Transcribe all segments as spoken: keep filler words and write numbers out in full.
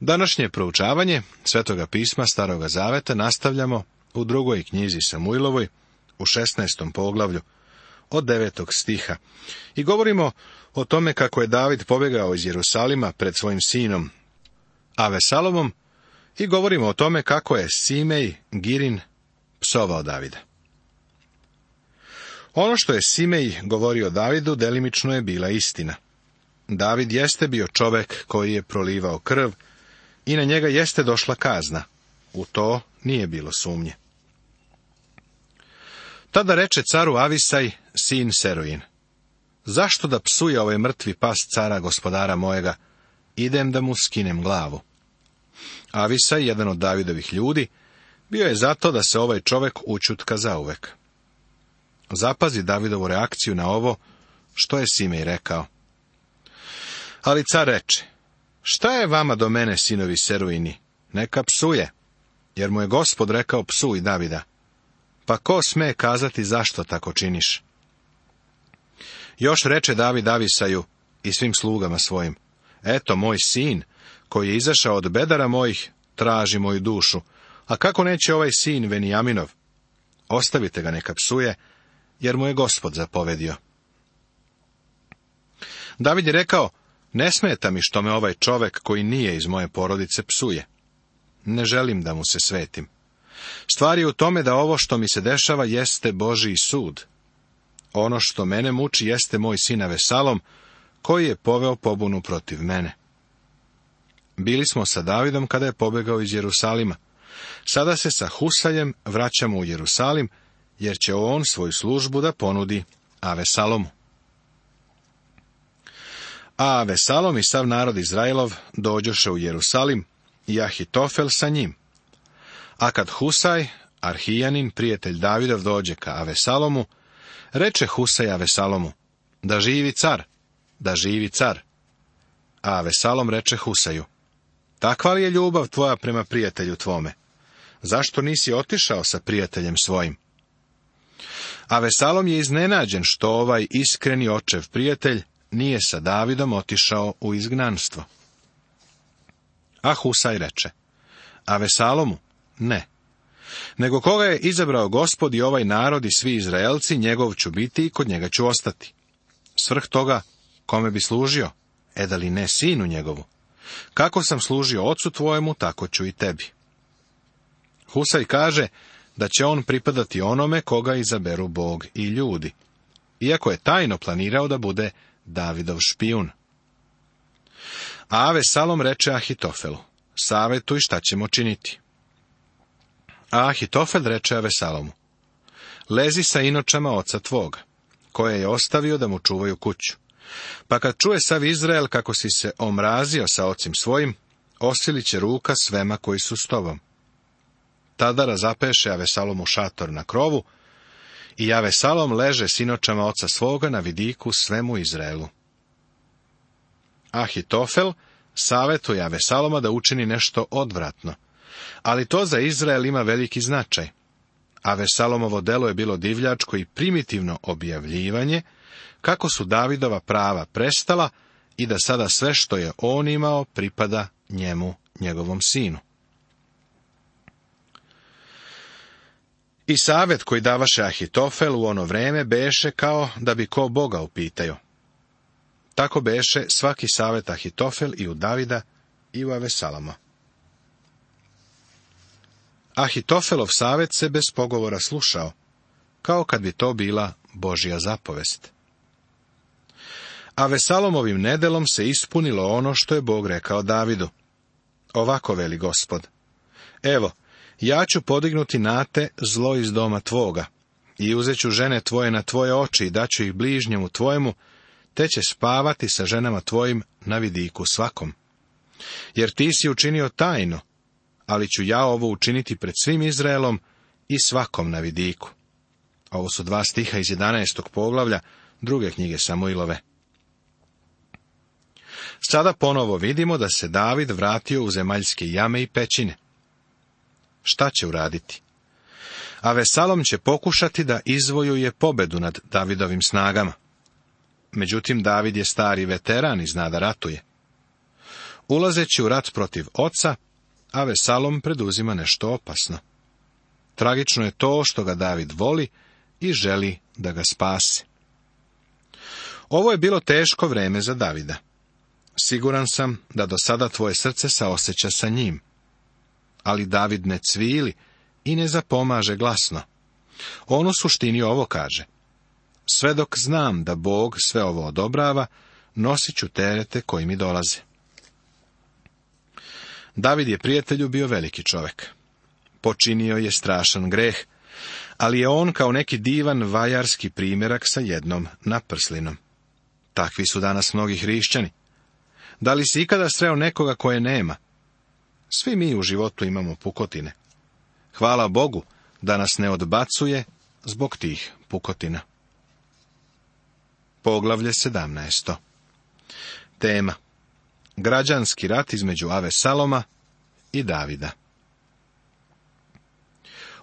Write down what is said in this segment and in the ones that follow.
Današnje proučavanje Svetoga pisma Staroga zaveta nastavljamo u drugoj knjizi Samuilovoj, u šesnaestom poglavlju, od devetog stiha. I govorimo o tome kako je David pobjegao iz Jerusalima pred svojim sinom Avesalomom i govorimo o tome kako je Simej Girin psovao Davida. Ono što je Simej govorio Davidu delimično je bila istina. David jeste bio čovek koji je prolivao krv i na njega jeste došla kazna. U to nije bilo sumnje. Tada reče caru Avisaj, sin Seruin: zašto da psuje ovaj mrtvi pas cara gospodara mojega? Idem da mu skinem glavu. Avisaj, jedan od Davidovih ljudi, bio je zato da se ovaj čovek učutka zauvek. Zapazi Davidovu reakciju na ovo što je Simej rekao. Ali car reče: šta je vama do mene, sinovi Seruini? Neka psuje, jer mu je Gospod rekao psuj Davida. Pa ko sme kazati zašto tako činiš? Još reče David Avisaju i svim slugama svojim: eto, moj sin, koji je izašao od bedara mojih, traži moju dušu. A kako neće ovaj sin Venijaminov? Ostavite ga neka psuje, jer mu je Gospod zapovedio. David je rekao: ne smeta mi što me ovaj čovek koji nije iz moje porodice psuje. Ne želim da mu se svetim. Stvar je u tome da ovo što mi se dešava jeste Božji sud. Ono što mene muči jeste moj sin Avesalom, koji je poveo pobunu protiv mene. Bili smo sa Davidom kada je pobegao iz Jerusalima. Sada se sa Husajem vraćamo u Jerusalim, jer će on svoju službu da ponudi Avesalomu. A Avesalom i sav narod Izraelov dođoše u Jerusalim i Ahitofel sa njim. A kad Husaj, Arhijanin, prijatelj Davidov, dođe ka Avesalomu, reče Husaj Avesalomu: da živi car, da živi car. A Avesalom reče Husaju: takva li je ljubav tvoja prema prijatelju tvome? Zašto nisi otišao sa prijateljem svojim? Avesalom je iznenađen što ovaj iskreni očev prijatelj nije sa Davidom otišao u izgnanstvo. A Husaj reče: Avesalomu, ne. Nego koga je izabrao Gospod i ovaj narod i svi Izraelci, njegov ću biti i kod njega ću ostati. Svrh toga, kome bi služio? E da li ne sinu njegovu? Kako sam služio ocu tvojemu, tako ću i tebi. Husaj kaže da će on pripadati onome koga izaberu Bog i ljudi, iako je tajno planirao da bude Davidov špijun. A Avesalom reče Ahitofelu: savetuj šta ćemo činiti. A Ahitofel reče Avesalomu: lezi sa inočama oca tvoga, koje je ostavio da mu čuvaju kuću. Pa kad čuje sav Izrael kako si se omrazio sa ocim svojim, osilit će ruka svema koji su s tobom. Tada razapeše Avesalomu šator na krovu i Avesalom leže s inočama oca svoga na vidiku svemu Izraelu. Ahitofel savetuje Avesaloma da učini nešto odvratno, ali to za Izrael ima veliki značaj. Avesalomovo delo je bilo divljačko i primitivno objavljivanje kako su Davidova prava prestala i da sada sve što je on imao pripada njemu, njegovom sinu. I savet koji davaše Ahitofel u ono vreme beše kao da bi ko Boga upitaju. Tako beše svaki savet Ahitofel i u Davida i u Avesaloma. Ahitofelov savet se bez pogovora slušao, kao kad bi to bila Božja zapovest. Avesalomovim nedelom se ispunilo ono što je Bog rekao Davidu. Ovako veli Gospod: evo, ja ću podignuti na te zlo iz doma tvoga i uzet ću žene tvoje na tvoje oči i daću ih bližnjemu tvojemu, te će spavati sa ženama tvojim na vidiku svakom. Jer ti si učinio tajno, ali ću ja ovo učiniti pred svim Izraelom i svakom na vidiku. Ovo su dva stiha iz jedanaestog poglavlja druge knjige Samuilove. Sada ponovo vidimo da se David vratio u zemaljske jame i pećine. Šta će uraditi? Avesalom će pokušati da izvojuje pobedu nad Davidovim snagama. Međutim, David je stari veteran i zna da ratuje. ulazeći u rat protiv oca, Avesalom preduzima nešto opasno. Tragično je to što ga David voli i želi da ga spase. Ovo je bilo teško vreme za Davida. Siguran sam da do sada tvoje srce saoseća sa njim. Ali David ne cvili i ne zapomaže glasno. On u suštini ovo kaže: sve dok znam da Bog sve ovo odobrava, nosit ću terete koji mi dolaze. David je prijatelju bio veliki čovjek. Počinio je strašan greh, ali je on kao neki divan vajarski primjerak sa jednom naprslinom. Takvi su danas mnogi hrišćani. Da li si ikada sreo nekoga koje nema? Svi mi u životu imamo pukotine. Hvala Bogu da nas ne odbacuje zbog tih pukotina. Poglavlje sedamnaesto. Tema: građanski rat između Avesaloma i Davida.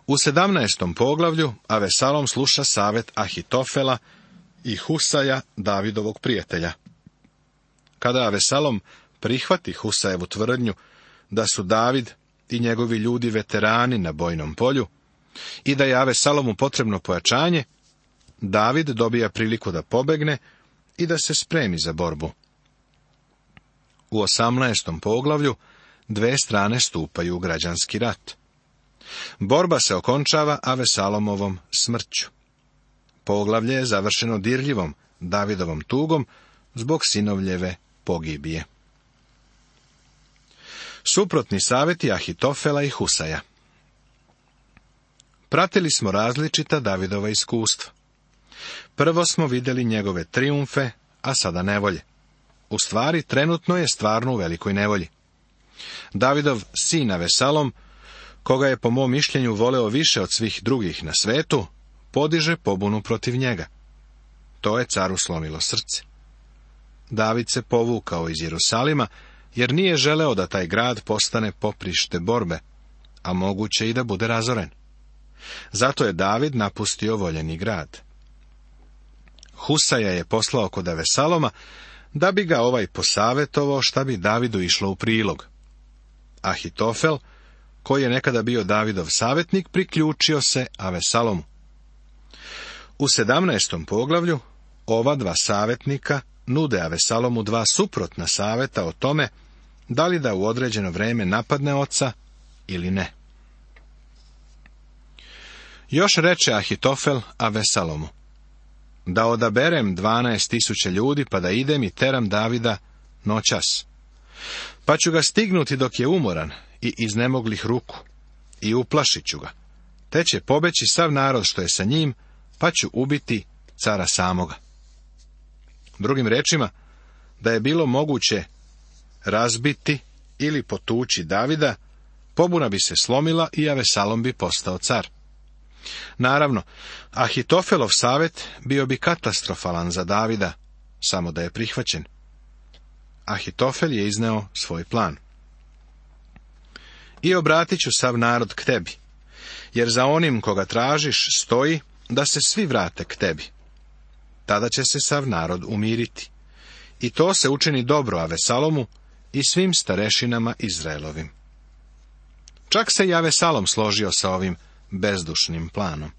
U sedamnaestom poglavlju Avesalom sluša savjet Ahitofela i Husaja, Davidovog prijatelja. Kada Avesalom prihvati Husajevu tvrdnju da su David i njegovi ljudi veterani na bojnom polju i da je Avesalomu potrebno pojačanje, David dobija priliku da pobegne i da se spremi za borbu. U osamnaestom poglavlju dve strane stupaju u građanski rat. Borba se okončava Avesalomovom smrću. Poglavlje je završeno dirljivom Davidovom tugom zbog sinovljeve pogibije. Suprotni savjeti Ahitofela i Husaja. Pratili smo različita Davidova iskustva. Prvo smo vidjeli njegove trijumfe, a sada nevolje. U stvari, trenutno je stvarno u velikoj nevolji. Davidov sin Avesalom, koga je po mom mišljenju voleo više od svih drugih na svetu, podiže pobunu protiv njega. To je caru slomilo srce. David se povukao iz Jerusalima, jer nije želeo da taj grad postane poprište borbe, a moguće i da bude razoren. Zato je David napustio voljeni grad. Husaja je poslao kod Avesaloma, da bi ga ovaj posavjetovao šta bi Davidu išlo u prilog. Ahitofel, koji je nekada bio Davidov savjetnik, priključio se Avesalomu. U sedamnaestom poglavlju ova dva savjetnika nude Avesalomu dva suprotna savjeta o tome da li da u određeno vrijeme napadne oca ili ne. Još reče Ahitofel Avesalomu: da odaberem dvanaest tisuća ljudi pa da idem i teram Davida noćas. Pa ću ga stignuti dok je umoran i iznemoglih ruku i uplašit ću ga. Te će pobeći sav narod što je sa njim, pa ću ubiti cara samoga. Drugim rečima, da je bilo moguće razbiti ili potući Davida, pobuna bi se slomila i Avesalom bi postao car. Naravno, Ahitofelov savjet bio bi katastrofalan za Davida, samo da je prihvaćen. Ahitofel je izneo svoj plan. I obratit ću sav narod k tebi, jer za onim koga tražiš stoji da se svi vrate k tebi. Tada će se sav narod umiriti. I to se učini dobro Avesalomu i svim starešinama Izraelovim. Čak se i Avesalom složio sa ovim bezdušnim planom.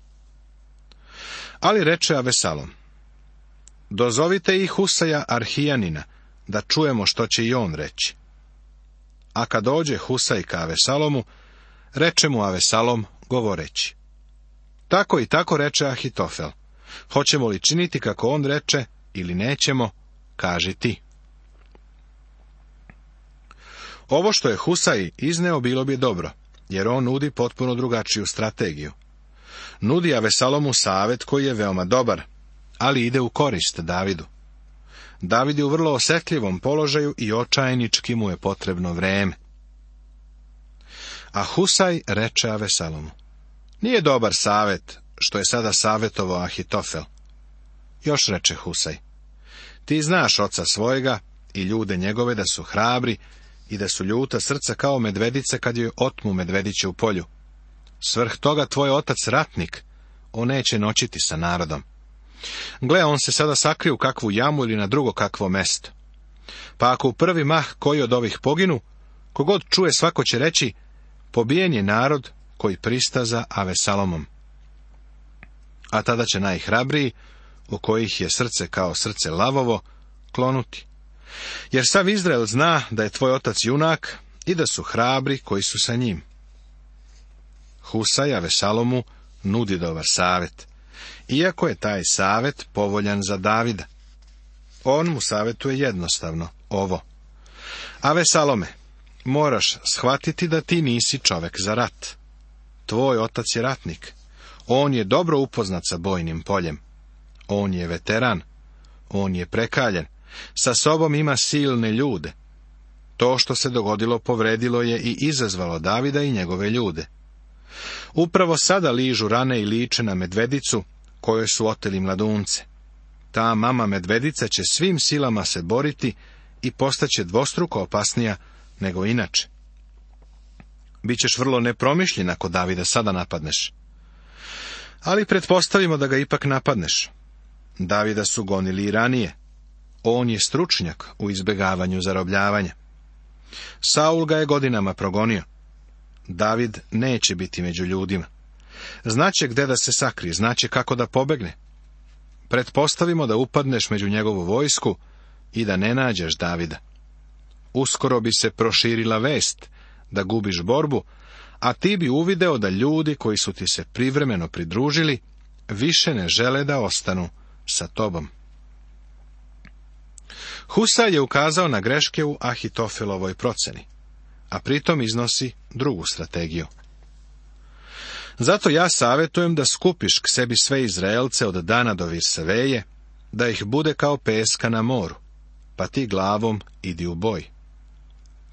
Ali reče Avesalom: dozovite i Husaja Arhijanina, da čujemo što će i on reći. A kad dođe Husaj ka Avesalomu, reče mu Avesalom govoreći: tako i tako reče Ahitofel. Hoćemo li činiti kako on reče ili nećemo, kaži ti. Ovo što je Husaj izneo bilo bi dobro, jer on nudi potpuno drugačiju strategiju. Nudi Avesalomu savjet koji je veoma dobar, ali ide u korist Davidu. David je u vrlo osjetljivom položaju i očajnički mu je potrebno vreme. A Husaj reče Avesalomu: nije dobar savjet što je sada savjetovao Ahitofel. Još reče Husaj: ti znaš oca svojega i ljude njegove da su hrabri i da su ljuta srca kao medvedice kad joj otmu medvediće u polju. Svrh toga tvoj otac ratnik, on neće noćiti sa narodom. Gle, on se sada sakrije u kakvu jamu ili na drugo kakvo mesto. Pa ako u prvi mah koji od ovih poginu, kogod čuje svako će reći, pobijen je narod koji pristaza Avesalomom. A tada će najhrabriji, u kojih je srce kao srce lavovo, klonuti. Jer sav Izrael zna da je tvoj otac junak i da su hrabri koji su sa njim. Husaj Avesalomu nudi dobar savjet, iako je taj savjet povoljan za Davida. On mu savjetuje jednostavno ovo. Avesalome, moraš shvatiti da ti nisi čovek za rat. Tvoj otac je ratnik. On je dobro upoznat sa bojnim poljem. On je veteran. On je prekaljen. Sa sobom ima silne ljude. To što se dogodilo povredilo je i izazvalo Davida i njegove ljude. Upravo sada ližu rane i liče na medvedicu, kojoj su oteli mladunce. Ta mama medvedica će svim silama se boriti i postaće dvostruko opasnija nego inače. Bićeš vrlo nepromišljen ako Davida sada napadneš. Ali pretpostavimo da ga ipak napadneš. Davida su gonili i ranije. On je stručnjak u izbjegavanju zarobljavanja. Saul ga je godinama progonio. David neće biti među ljudima. Znaće gde da se sakrije, znaće kako da pobegne. Pretpostavimo da upadneš među njegovu vojsku i da ne nađeš Davida. Uskoro bi se proširila vest da gubiš borbu, a ti bi uvideo da ljudi koji su ti se privremeno pridružili više ne žele da ostanu sa tobom. Husaj je ukazao na greške u Ahitofelovoj proceni, a pritom iznosi drugu strategiju. Zato ja savjetujem da skupiš k sebi sve Izraelce od Dana do Virseveje, da ih bude kao peska na moru, pa ti glavom idi u boj.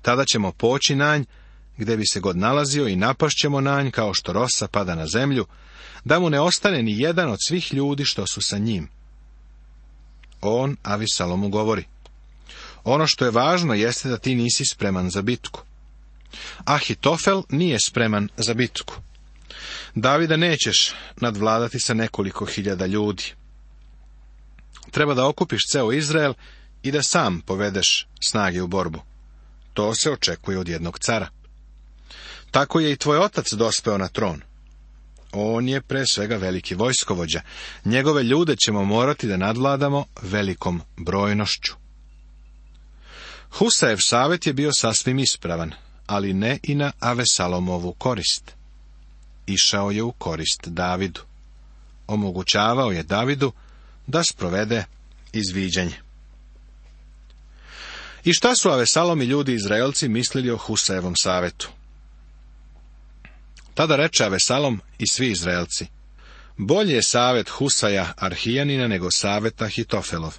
Tada ćemo poći na nj, gde bi se god nalazio, i napašćemo na nj kao što rosa pada na zemlju, da mu ne ostane ni jedan od svih ljudi što su sa njim. On Avesalomu govori: ono što je važno jeste da ti nisi spreman za bitku. Ahitofel nije spreman za bitku. Davida nećeš nadvladati sa nekoliko hiljada ljudi. Treba da okupiš ceo Izrael i da sam povedeš snage u borbu. To se očekuje od jednog cara. Tako je i tvoj otac dospeo na tron. On je pre svega veliki vojskovođa. Njegove ljude ćemo morati da nadvladamo velikom brojnošću. Husajev savjet je bio sasvim ispravan, ali ne i na Avesalomovu korist. Išao je u korist Davidu. Omogućavao je Davidu da sprovede izviđanje. I šta su Avesalom i ljudi Izraelci mislili o Husajevom savjetu? Tada reče Avesalom i svi Izraelci: bolje je savjet Husaja Arhijanina nego savjet Ahitofelov.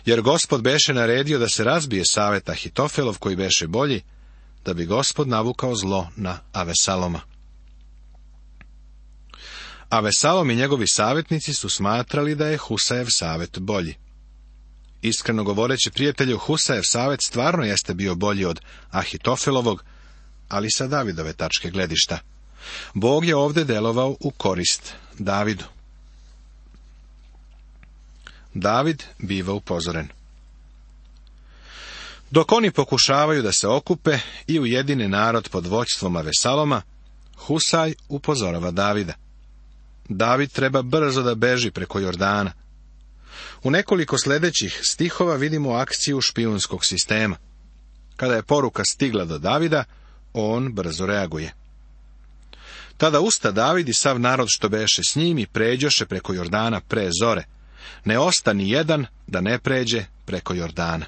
Jer Gospod beše naredio da se razbije savjet Ahitofelov koji beše bolji, da bi Gospod navukao zlo na Avesaloma. Avesalom i njegovi savjetnici su smatrali da je Husajev savjet bolji. Iskreno govoreći, prijatelju, Husajev savjet stvarno jeste bio bolji od Ahitofelovog, ali sa Davidove tačke gledišta. Bog je ovdje delovao u korist Davidu. David biva upozoren. Dok oni pokušavaju da se okupe i ujedine narod pod vođstvom Avesaloma, Husaj upozorava Davida. David treba brzo da beži preko Jordana. U nekoliko sljedećih stihova vidimo akciju špijunskog sistema. Kada je poruka stigla do Davida, on brzo reaguje. Tada usta David i sav narod što beše s njim i pređoše preko Jordana pre zore. Ne osta ni jedan da ne pređe preko Jordana.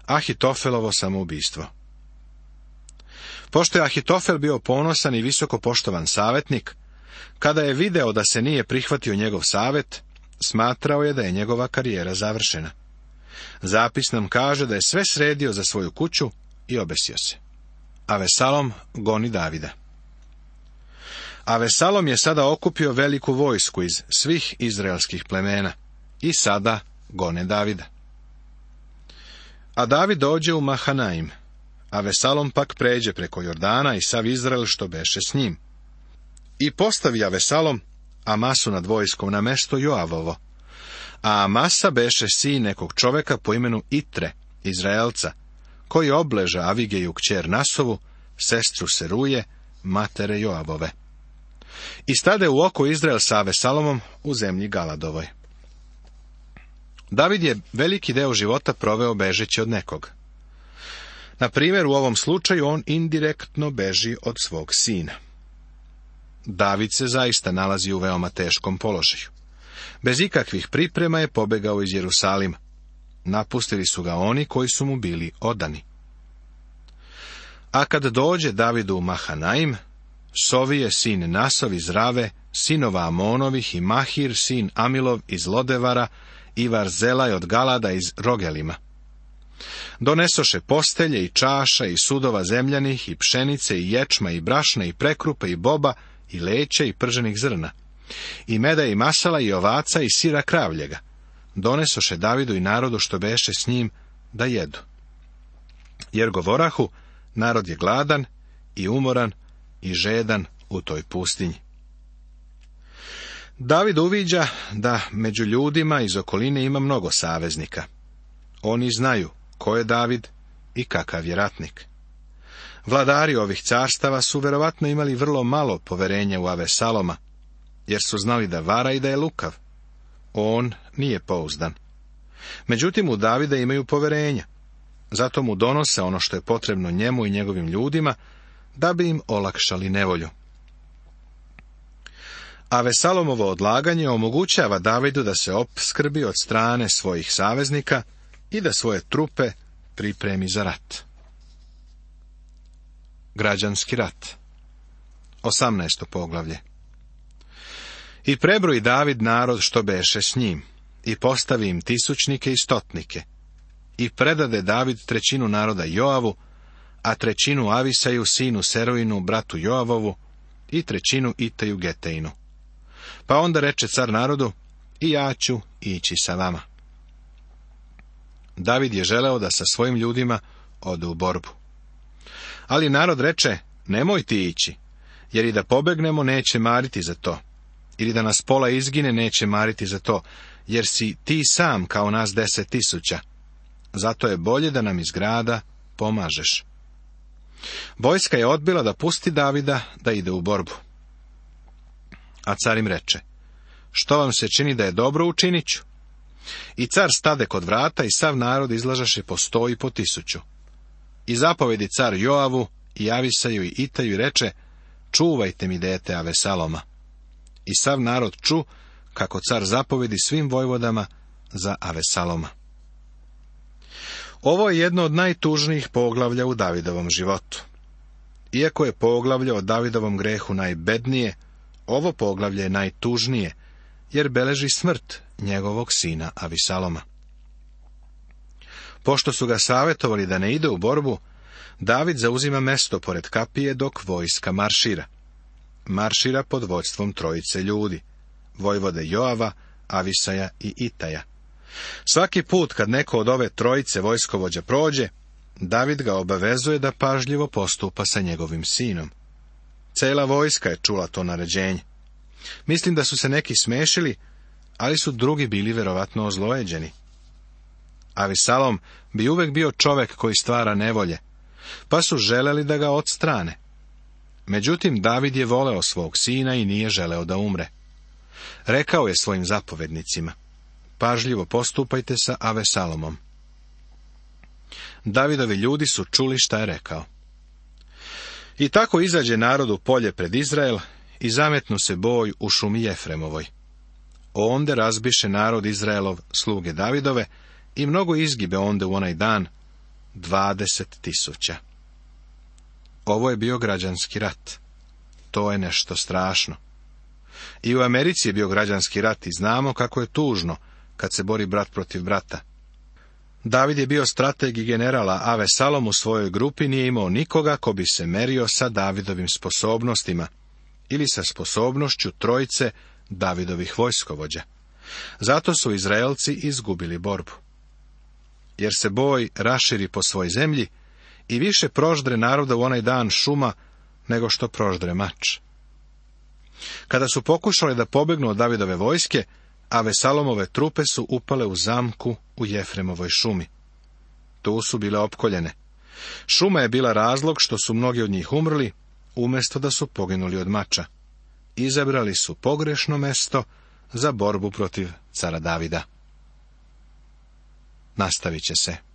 Ahitofelovo samoubistvo. Pošto je Ahitofel bio ponosan i visoko poštovan savjetnik, kada je video da se nije prihvatio njegov savjet, smatrao je da je njegova karijera završena. Zapis nam kaže da je sve sredio za svoju kuću i obesio se. Avesalom goni Davida. Avesalom je sada okupio veliku vojsku iz svih izraelskih plemena i sada gone Davida. A David dođe u Mahanaim, Avesalom pak pređe preko Jordana i sav Izrael što beše s njim. I postavi Avesalom Amasu nad vojskom na mesto Joavovo, A Amasa beše sin nekog čoveka po imenu Itre, Izraelca, koji obleža Avigeju kćer Nasovu, sestru Seruje, matere Joabove. I stade u oko Izrael sa Avesalomom u zemlji Galadovoj. David je veliki deo života proveo bežeći od nekog. Na primjer, u ovom slučaju on indirektno beži od svog sina. David se zaista nalazi u veoma teškom položaju. Bez ikakvih priprema je pobegao iz Jerusalima. Napustili su ga oni koji su mu bili odani. A kad dođe Davidu u Mahanaim, Sovije sin Nasov iz Rave, sinova Amonovih i Mahir sin Amilov iz Lodevara i Varzelaj od Galada iz Rogelima. Donesoše postelje i čaša i sudova zemljanih i pšenice i ječma i brašna i prekrupe i boba i leća i prženih zrna, i meda i masala i ovaca i sira kravljega. Donesoše Davidu i narodu što beše s njim da jedu. Jer govorahu, narod je gladan i umoran i žedan u toj pustinji. David uviđa da među ljudima iz okoline ima mnogo saveznika. Oni znaju ko je David i kakav je ratnik. Vladari ovih carstava su verovatno imali vrlo malo poverenja u Avesaloma, jer su znali da vara i da je lukav. On nije pouzdan. Međutim, u Davida imaju poverenja. Zato mu donose ono što je potrebno njemu i njegovim ljudima, da bi im olakšali nevolju. Avesalomovo odlaganje omogućava Davidu da se opskrbi od strane svojih saveznika i da svoje trupe pripremi za rat. Građanski rat. osamnaesto poglavlje. I prebroji David narod što beše s njim, i postavi im tisućnike i stotnike, i predade David trećinu naroda Joavu, a trećinu Avisaju, sinu Seruinu, bratu Joavovu, i trećinu Itaju Geteinu. Pa onda reče car narodu, i ja ću ići sa vama. David je želeo da sa svojim ljudima ode u borbu. Ali narod reče, nemoj ti ići, jer i da pobegnemo neće mariti za to, ili da nas pola izgine neće mariti za to, jer si ti sam kao nas deset tisuća. Zato je bolje da nam iz grada pomažeš. Vojska je odbila da pusti Davida da ide u borbu. A car im reče, što vam se čini da je dobro, učinit ću. I car stade kod vrata i sav narod izlažaše po sto i po tisuću. I zapovedi car Joavu i Avisaju i Itaju i reče, čuvajte mi dete Avesaloma. I sav narod ču, kako car zapovedi svim vojvodama za Avesaloma. Ovo je jedno od najtužnijih poglavlja u Davidovom životu. Iako je poglavlje o Davidovom grehu najbednije, ovo poglavlje je najtužnije, jer beleži smrt njegovog sina Avisaloma. Pošto su ga savjetovali da ne ide u borbu, David zauzima mesto pored kapije dok vojska maršira. Maršira pod vodstvom trojice ljudi, vojvode Joava, Avisaja i Itaja. Svaki put kad neko od ove trojice vojskovođa prođe, David ga obavezuje da pažljivo postupa sa njegovim sinom. Cela vojska je čula to naređenje. Mislim da su se neki smešili, ali su drugi bili verovatno ozlojeđeni. Avisalom bi uvek bio čovek koji stvara nevolje, pa su želeli da ga odstrane. Međutim, David je voleo svog sina i nije želeo da umre. Rekao je svojim zapovednicima, pažljivo postupajte sa Avesalomom. Davidovi ljudi su čuli šta je rekao. I tako izađe narod u polje pred Izrael i zametnu se boj u šumi Jefremovoj. Onde razbiše narod Izraelov sluge Davidove i mnogo izgibe onde u onaj dan, dvadeset tisuća. Ovo je bio građanski rat. To je nešto strašno. I u Americi je bio građanski rat i znamo kako je tužno kad se bori brat protiv brata. David je bio strateg i general, a Avesalom u svojoj grupi nije imao nikoga ko bi se merio sa Davidovim sposobnostima ili sa sposobnošću trojice Davidovih vojskovođa. Zato su Izraelci izgubili borbu. Jer se boj raširi po svoj zemlji i više proždre naroda u onaj dan šuma nego što proždre mač. Kada su pokušali da pobegnu od Davidove vojske, a Vesalomove trupe su upale u zamku u Jefremovoj šumi. Tu su bile opkoljene. Šuma je bila razlog što su mnogi od njih umrli, umjesto da su poginuli od mača. Izabrali su pogrešno mesto za borbu protiv cara Davida. Nastavit će se.